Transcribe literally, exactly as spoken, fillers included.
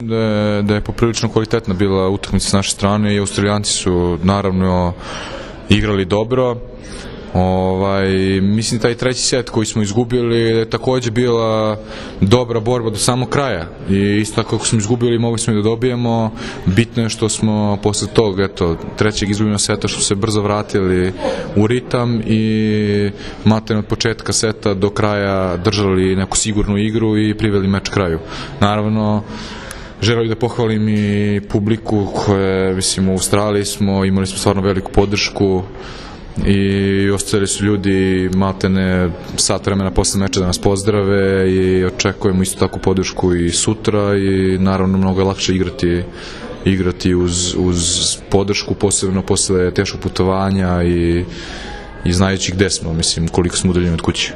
Da je, da je poprilično kvalitetna bila utakmica s naše strane i Australijanci su naravno igrali dobro. Ovaj, mislim taj treći set koji smo izgubili je također bila dobra borba do samog kraja i isto kako smo izgubili mogli smo i da dobijemo. Bitno je što smo posle tog eto, trećeg izgubljenog seta što se brzo vratili u ritam i matem od početka seta do kraja držali neku sigurnu igru i priveli meč kraju. Naravno želim da pohvalim i publiku koje, mislim, u Australiji smo, imali smo stvarno veliku podršku i ostali su ljudi maltene sat vremena posle meča da nas pozdrave i očekujemo isto tako podršku i sutra i naravno mnogo je lakše igrati igrati uz, uz podršku, posebno posle teškog putovanja i, i znajući gde smo, mislim, koliko smo udaljeni od kuće.